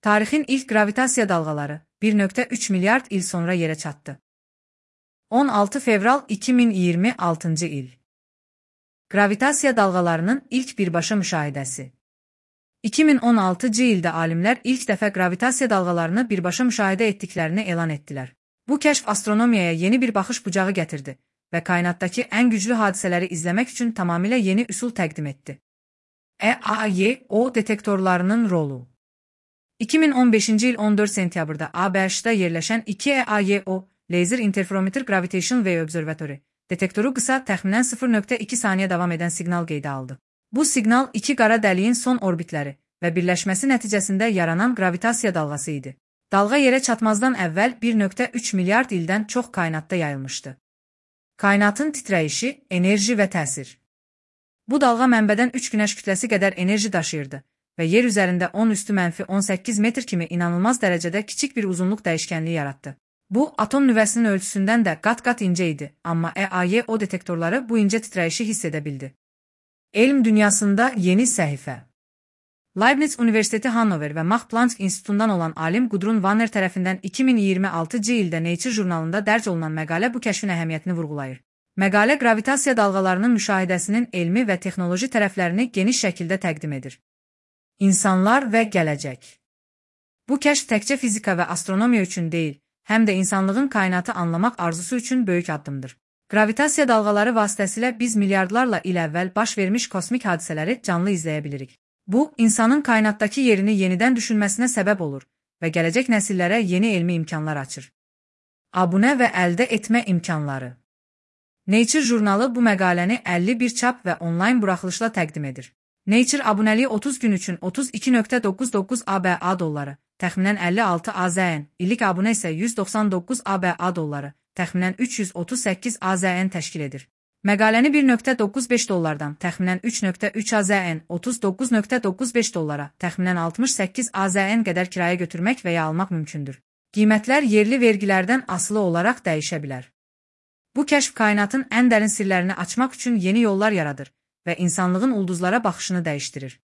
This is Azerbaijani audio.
Tarixin ilk gravitasiya dalğaları 1,3 milyard il sonra yerə çatdı. 16 fevral 2026-cı il. Gravitasiya dalğalarının ilk birbaşa müşahidəsi. 2016-cı ildə alimlər ilk dəfə gravitasiya dalğalarını birbaşa müşahidə etdiklərini elan etdilər. Bu kəşf astronomiyaya yeni bir baxış bucağı gətirdi və kainatdakı ən güclü hadisələri izləmək üçün tamamilə yeni üsul təqdim etdi. EAYO detektorlarının rolu. 2015-ci il 14 sentyabrda ABŞ-da yerləşən 2 EAYO Laser Interferometer Gravitation Wave Observatory detektoru qısa, təxminən 0,2 saniyə davam edən siqnal qeydə aldı. Bu siqnal iki qara dəliyin son orbitləri və birləşməsi nəticəsində yaranan gravitasiya dalğası idi. Dalğa yerə çatmazdan əvvəl 1,3 milyard ildən çox kainatda yayılmışdı. Kainatın titrəyişi, enerji və təsir. Bu dalğa mənbədən 3 günəş kütləsi qədər enerji daşıyırdı və yer üzərində 10⁻18 metr kimi inanılmaz dərəcədə kiçik bir uzunluq dəyişkənliyi yaratdı. Bu, atom nüvəsinin ölçüsündən də qat-qat incə idi, amma EAYO detektorları bu incə titrəyişi hiss edə bildi. Elm dünyasında yeni səhifə. Leibniz Universiteti Hannover və Max Planck İnstitutundan olan alim Gudrun Wanner tərəfindən 2026-cı ildə Nature jurnalında dərc olunan məqalə bu kəşfin əhəmiyyətini vurğulayır. Məqalə qravitasiya dalğalarının müşahidəsinin elmi və texnoloji tərəflərini geniş şəkildə təqdim edir. İnsanlar və gələcək. Bu kəşf təkcə fizika və astronomiya üçün deyil, həm də insanlığın kainatı anlamaq arzusu üçün böyük addımdır. Gravitasiya dalğaları vasitəsilə biz milyardlarla il əvvəl baş vermiş kosmik hadisələri canlı izləyə bilirik. Bu, insanın kainatdakı yerini yenidən düşünməsinə səbəb olur və gələcək nəsillərə yeni elmi imkanlar açır. Abunə və əldə etmə imkanları. Nature jurnalı bu məqaləni 51 çap və onlayn buraxılışla təqdim edir. Nature abunəliyi 30 gün üçün 32,99 ABA dolları, təxminən 56 AZN, illik abunə isə 199 ABA dolları, təxminən 338 AZN təşkil edir. Məqaləni 1,95 dollardan, təxminən 3,3 AZN, 39,95 dollara, təxminən 68 AZN qədər kirayə götürmək və ya almaq mümkündür. Qiymətlər yerli vergilərdən asılı olaraq dəyişə bilər. Bu kəşf kainatın ən dərin sirlərini açmaq üçün yeni yollar yaradır və insanlığın ulduzlara baxışını dəyişdirir.